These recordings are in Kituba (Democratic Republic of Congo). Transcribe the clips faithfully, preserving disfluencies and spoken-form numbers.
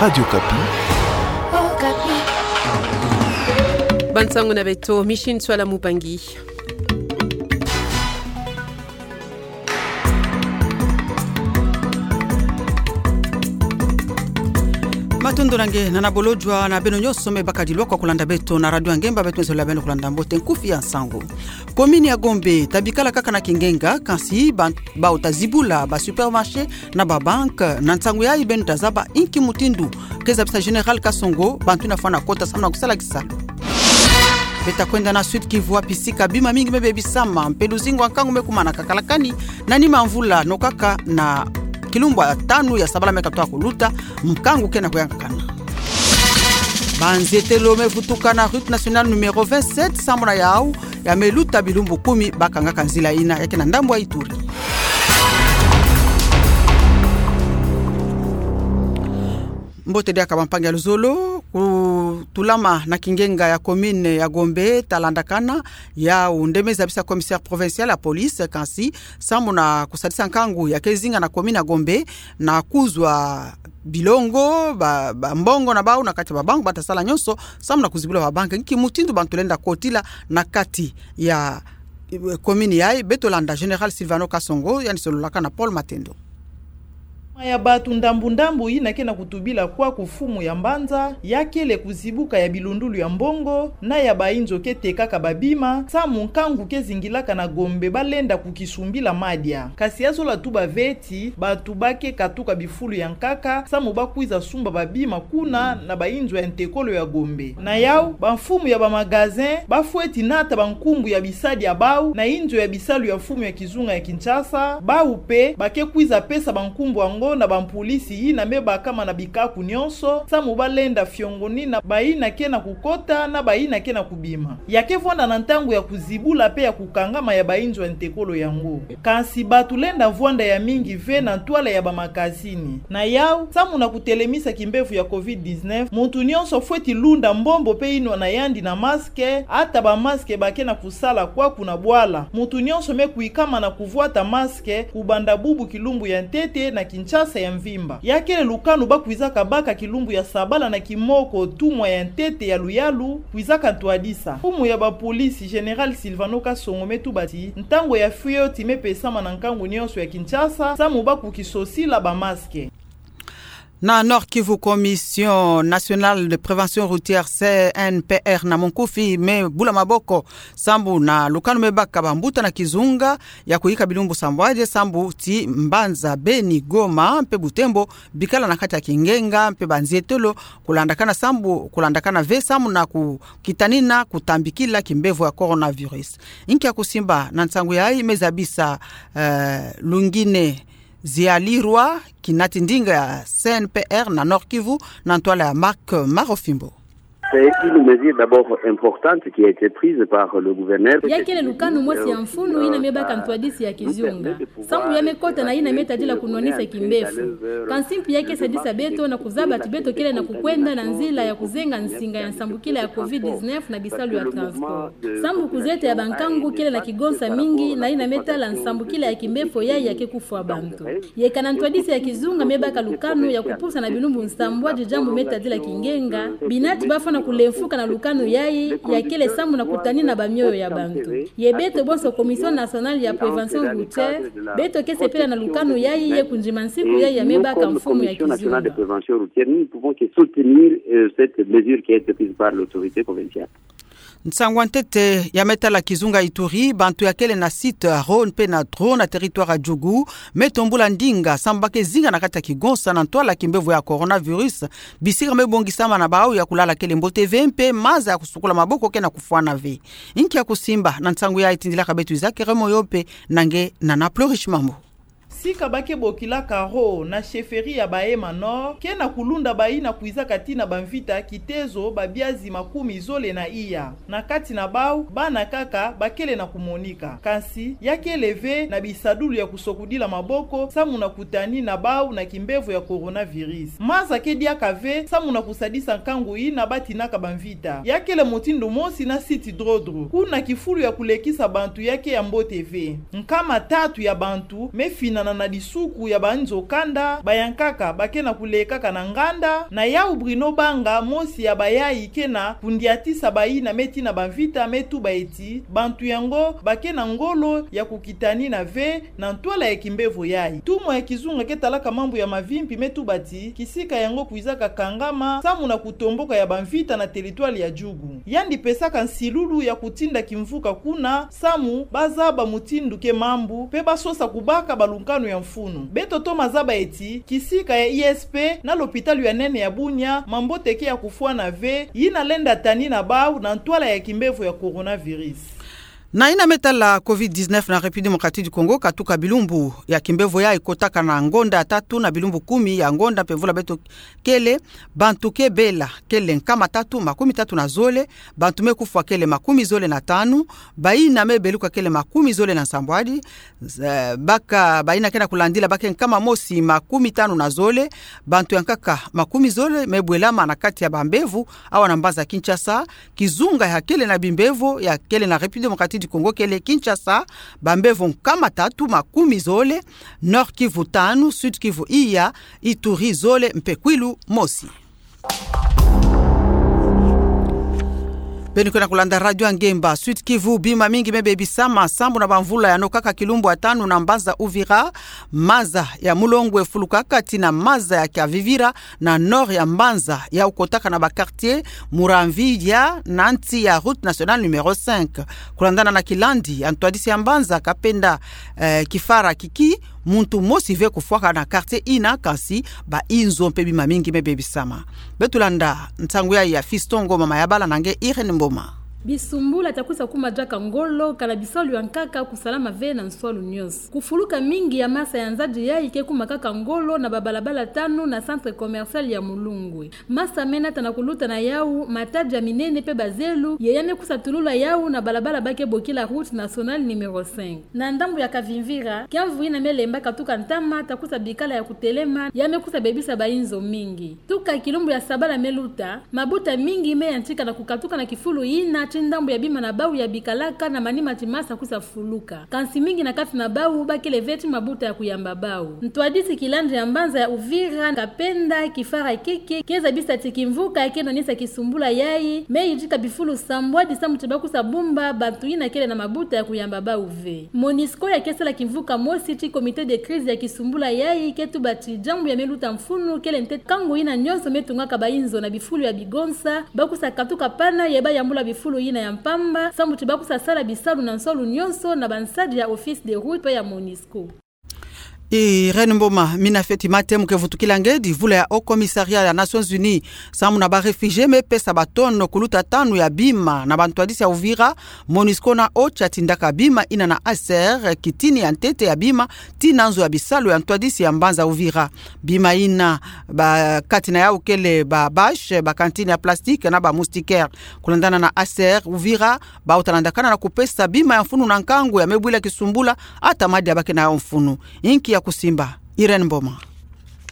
Radio Okapi. Bansango na beto, Micheline Ntsoila Mupangi. Matondo na nge na nabolojwa na beno nyonso me bakadilwa kwa kulanda beto na Radio Ngemba. Beto mezolele beno kulanda mbote nkufi ya nsangu. Commune ya Gombe tabikala kaka na kingenga, kansi ba, bau tazibula ba supermarché na ba banque. Na nsangu yayi beno tazaba inki mutindu keza bisa Général Kasongo bantu yina fwana kota samu na kusala kisalu. Beta kwenda na Sud-Kivu, wapi sika bima mingi mebebisama, mpe luzingu ya nkangu mekumana kakalakani na nima mvula, no kaka na kilumbu ya tanu ya sabala mekatwa kuluta, nkangu kena kuyangakana. Banzietelo mevutuka na route nationale numéro vingt-sept, samu na yau ya meluta bilumbu kumi bakangaka nzila yina, ya ke na ndambu ya Ituri. Mbote diaka bampangi ya luzolo, kutulama na kingenga ya commune ya Gombe talandakana, yau nde meza bisa commissaire provincial ya police, kansi samu na kusadisa nkangu ya ke zinga na commune ya Gombe, na kuzwa bilongo, ba, ba mbongo na bau na kati ya ba banque, bata sala nyonso samu na kuzibula ba banque. Nki mutindu bantu lenda kotila na kati ya, eh, commune yayi? Beto landa Général Sylvano Kasongo, yandi sololaka na Paul Matendo. Ma ya bantu ndambu ndambu yina kena kutubila kwaku mfumu ya mbanza, ya kele kuzibuka ya bilundulu ya mbongo na ya bainzo ke tekaka babima, samu nkangu ke zingilaka na Gombe balenda kukisumbila madia. Kansi ya zola tuba ve ti bantu ba ke katuka bifulu ya nkaka samu bakwiza sumba babima kuna na bainzo ya ntekolo ya Gombe. Na yau, bamfumu ya ba magasin bafweti nata bankumbu ya bisadi ya bau na inzo ya bisalu ya mfumu ya kizunga ya Kinshasa. Bau mpe ba ke kwiza pesa bankumbu yango na bampolisi yina mebakama na bikaku nyonso samu balenda fiongonina bayina kena kukota na bayina kena kubima. Ya ke vwanda na ntangu ya kuzibula mpe ya kukangama ya bainzo ya ntekolo yango. Kansi bantu lenda vwanda ya mingi ve na ntwala ya bamakasini. Na yau, samu na kutelemisa kimbevo ya covid dix-neuf, muntu nyonso fweti lunda mbombo mpe inwa na yandi na masque, ata ba masque ba kena kusala kwaku na bwala. Muntu nyonso me kwikama na kuvwata masque kubanda bubu kilumbu ya ntete na Kinshasa ya mvimba. Ya kele lukanu bakwizaka baka kilumbu ya sabala na kimoko, tumwa ya ntete ya luyalu kwizaka ntwadisa. Mfumu ya bapolisi, Général Sylvano Kasongo, me tuba ti ntangu ya fioti me pesama na nkangu nyonso ya Kinshasa samu ba kukisosila ba masque. Na Nord-Kivu, Commission Nationale de Prévention Routière, C N P R na monkufi, me bula maboko sambu na lukanu me baka bambuta na kizunga ya kuyika bilumbu sambwadi, sambu ti Mbanza, Beni, Goma mpe Butembo bikala na kati ya kingenga, mpe banzietolo kulandakana sambu, kulandakana ve samu na kukitanina kutambikila kimbevo ya coronavirus. Inki ya kusimba na nsangu yayi? Me zabisa, eh, Lungine Zialirwa, kinati ndinga ya C N P R na Nord-Kivu, na ntwala ya Marc Marofimbo. C'est une mesure d'abord importante qui a été prise par le gouverneur. Ya kele lukanu mosi ya mfunu yina me baka ntwadisi ya kizunga, sambu ya me kota na yina me tadila kunwanisa kimbevo. Kansi mpi ya ke sadisa beto na kuzaba ti beto kele na kukwenda na nzila ya kuzenga nsinga ya nsambukila ya covid dix-neuf na bisalu ya transport. Sambu kuzieta ya bankangu kele na kigonsa mingi na yina me tala nsambukila ya kimbevo yayi ya ke kufwa bantu. Yeka na ntwadisi ya kizunga me baka lukanu ya kupusa na bilumbu nsambwadi diambu me tadila kingenga, binati bafwana kulemfuka na lukanu yayi ya kele samu na kutanina bamioyo ya bantu. Ye beto bonso Commission Nationale ya Prévention Routière, beto ke sepela na lukanu yayi ye kundima nsiku yayi ya me baka mfumu ya kizunga. Nous, comme Commission Nationale de Prévention Routière, nous ne pouvons que soutenir, euh, cette mesure qui a été prise par l'autorité provinciale. Nsangu ya ntete ya me tala kizunga Ituri, bantu ya kele na site ya Rhône mpe na Drô na territoire ya Djougou me tombula ndinga sambu ba ke zinga na kati ya kigonsa na ntwala kimbevo ya coronavirus. Bisika me bongisama na bau ya kulala kele mbote ve mpe maza ya kusukula maboko kena kufwana ve. Inki ya kusimba na nsangu yayi? Tindilaka beto Isaac Remoyo mpe na nge Nana Plurish Mambu. Sika ba ke bokilaka Rhô na chefferie ya Bahema Nord, kena kulunda bayina kwizaka tii na bamvita kitezo babiazi makumi zole na iya. Na kati na bau, bana kaka ba kele na kumonika. Kansi, ya kele ve na bisadulu ya kusokudila maboko, samu na kutanina bau na kimbevo ya coronavirus. Maza ke diaka ve, samu na kusadisa nkangu yina ba tinaka bamvita. Ya kele mutindu mosi na site Drô-Drô. Kuna kifulu ya kulekisa bantu ya ke ya mbote ve. Nkama tatu ya bantu me finana na lisuku ya banzo kanda, bayankaka ba ke na kulekaka na nganda, na yau Bruno Banga, mosi ya bayai ke na kundiatisa bayina me tina bamvita, me tuba eti bantu yango ba ke na ngolo ya kukitanina ve na ntwala ya kimbevo yai. Tumo ya kizunga ke talaka mambu ya mavimpi me tuba ti kisika yango kwizaka kangama samu na kutomboka ya bamvita na teritware ya Djugu. Yandi pesaka nsilulu ya kutinda kimvuka kuna samu ba zaba mutindu ke mambu, pe ba sosa kubaka balunkanu ya mfunu. Beto toma zaba eti kisika ya I S P na lopitalo ya nene ya Bunia, mambote ke ya kufwana ve, yina lenda tanina bau na ntwala ya kimbevo ya coronavirus. Na yina me tala covid dix-neuf na République Démocratique du Congo, katuka bilumbu ya kimbevo yai kotaka na ngonda ya tatu na bilumbu kumi ya ngonda mpe mvula beto kele, bantu ke bela kele nkama tatu makumi tatu na zole, bantu me kufwa kele makumi zole na tanu, bayina me beluka kele makumi zole na nsambwadi, eh, baka bayina ke na kulandila ba ke nkama mosi makumi tanu na zole, bantu yankaka makumi zole me bwelama na kati ya bambevo awa na mbanza Kinshasa. Kizunga ya kele na bimbevo ya kele na République Démocratique du Congo kele Kinshasa, bambevo nkama tatu makumi zole, Nord-Kivu tanu, Sud-Kivu iya, Ituri zole mpe Kwilu mosi. Beno ke na kulanda Radio ya Ngemba. Sud-Kivu, bima mingi me bebisama sambu na bamvula yano kaka. Kilumbu ya tanu na mbanza Uvira, maza ya Mulongwe efulukaka tii na maza ya Kavivira na nord ya mbanza, yau kotaka na ba quartier Muramvya na nsi ya route nationale numéro cinq. Kulandana na kilandi ya ntwadisi ya mbanza Kapenda, eh, Kifara Kiki, muntu mosi ve kufwaka na quartier yina, kansi bayinzo mpe bima mingi me bebisama. Beto landa nsangu yai ya Fiston Ngoma Mayabala na nge Irène Mboma. Bisumbula tia kwiza kuma diaka ngolo, kana bisalu yankaka kusalama ve na nswalu nyonso. Kufuluka mingi ya masa ya nzadi yai ke kuma kaka ngolo na babalabala tanu na centre commercial ya Mulongwe. Masa me nata na kuluta na yau, matadi ya minene mpe bazelu, ye ya me kwiza tulula yau na balabala ba ke bokila route nationale numéro cinq. Na ndambu ya Kavimvira, kiamvu yina me lemba katuka ntama tia kwiza bikala ya kutelema, ya me kwiza bebisa bayinzo mingi. Tuka kilumbu ya sabala me luta, mabuta mingi me yantika na kukatuka na kifulu yina, tii ndambu ya bima na bau ya bikalaka na manima ti masa kwiza fuluka. Kansi mingi na kati na bau ba kele ve tii mabuta ya kuyamba bau. Ntwadisi kilandi ya mbanza ya Uvira, Kapenda Kifara Kiki, ke zabisa ti kimvuka ke nwanisa kisumbula yai, me yidika bifulu sambwadi samu ti ba kwiza bumba bantu yina kele na mabuta ya kuyamba bau ve. Monusco ya ke sala kimvuka mosi tii comité de crise ya kisumbula yai ke tuba ti diambu ya me luta mfunu kele ntete kangu yina nyonso me tungaka bayinzo na bifulu ya bigonsa, ba kwiza katuka pana ye ba yambula bifulu yina ya mpamba, samu ti ba kwiza sala bisalu na nswalu nyonso na bansadi ya office de route mpe ya Monusco. Irène Mboma, mina feti mate mu ke vutukila ngedi, vula ya Haut Commissariat ya Nations Unies samu na ba réfugiés me pesa batono kuluta tanu ya bima na bantwadisi ya Uvira, Monusco na OCHA tindaka bima yina na H C R, kitini ya ntete ya bima, tii na nzo ya bisalu ya ntwadisi ya mbanza Uvira. Bima yina ba kati na yau kele ba bâches, ba cantines ya plastique na ba moustiquaires. Kulandana na H C R Uvira, bauta landakana na kupesa bima ya mfunu na nkangu ya me bwila kisumbula, ata madia ba ke na yau mfunu. Inki ya kusimba, Irène Mboma.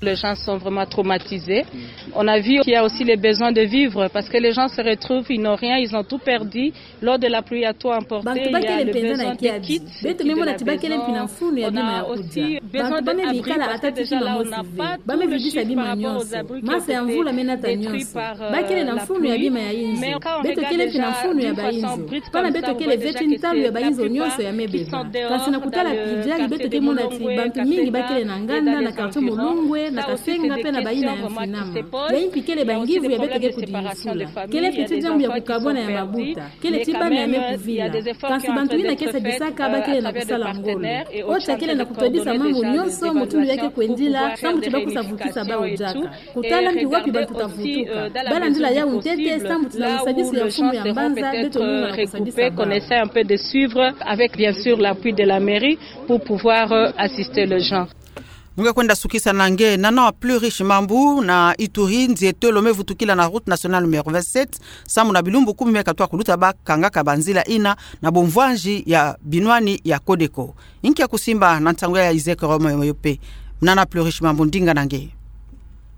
Les gens sont vraiment traumatisés. On a vu qu'il y a aussi les besoins de vivre parce que les gens se retrouvent, ils n'ont rien, ils ont tout perdu. Lors de la pluie, il y a tout emporté. Bantu ba kele mpenza na kiadi. Beto me mona ti ba kele mpi na mfunu ya bima ya kudia. Bantu ba me bikala ata ti kima mosi ve. Ba me vidisa bima nyonso. Masa ya mvula me nata nyonso. Ba kele na mfunu ya bima ya inzo. Beto kele mpi na mfunu ya bayinzo. Pana beto kele ve tii ntalu ya bayinzo nyonso ya me beba. Kansi na kutala pi diali beto ke mona ti bantu mingi ba kele na nganda, na quartier Mulongwe, na Kasenga mpe na bayina ya mfinama. Ya impi kele bangivu ya beto ke kudisula. Kele mpi tii diambu ya kukabwana ya mabuta. Kele tii bana ya me kuvila. Kansi bantu yina ke sadisaka ba kele na kusala ngolo. OCHA kele na kutwadisa mambu nyonso mutindu ya ke kwendila, samu ti ba kwiza vukisa bau diaka. Kutala mpi wapi bantu ta vutuka. Ba landila yau ntete, samu ti na lusadisu ya mfumu ya mbanza, beto nunga na kusadisa bau. Qu'on essaie un peu de suivre avec bien sûr l'appui de la mairie pour pouvoir, euh, assister les gens. Mu nge kwenda sukisa na nge, Nana Plurish Mambu na Ituri, nzietolo me vutukila na route nationale numéro vingt-sept, samu na bilumbu kumi me katuka kuluta ba kangaka banzila yina na bomvwanji ya binwani ya Codeco. Inki ya kusimba na nsangu ya Isaac Romain Moyope. Nana Plurish Mambu, ndinga na nge.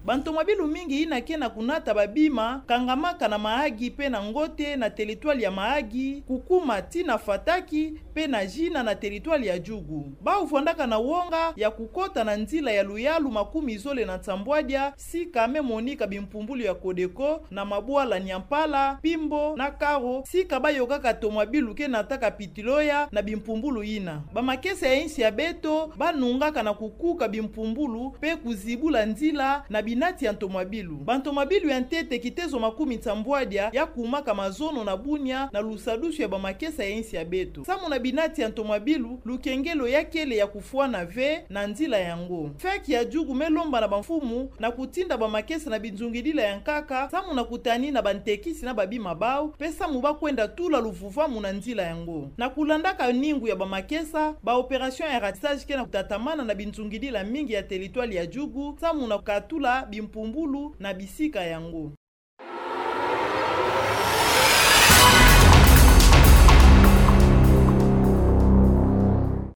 Bantomabilu mingi yina ke na kunata babima kangamaka na Mahagi mpe na Ngote na teritware ya Mahagi, kukuma tii na Fataki, mpe na zina na teritwale ya Djugu. Bau vwandaka na wonga ya kukota na nzila ya luyalu makumi zole na nsambwadia sika me monika bimpumbulu ya Codeco na mabwala Niampala, Pimbo na Karo, sika bayokaka ntomabilu ke nataka pitiloya na bimpumbulu yina. Bamakesa ya insi ya beto banungaka na kukuka bimpumbulu mpe kuzibula nzila na binati ya ntomabilu. Bantomabilu ya ntete kitezo makumi nsambwadia ya kumaka mazono na Bunia na lusadusu ya bamakesa ya insi ya beto. Samu na binati ya ntomabilu, lukengelo ya kele ya kufwana ve na nzila yango. FEC ya Djugu me lomba na bamfumu na kutinda bamakesa na binzungidila ya nkaka, samu na kutanina bantekisi na babima bau, mpe samu bakwenda tula luvuvamu na nzila yango. Na kulandaka ningu ya bamakesa, ba opération ya ratissage ke na kutatamana na binzungidila mingi ya teritwale ya Djugu, samu na kukatula bimpumbulu na bisika yango.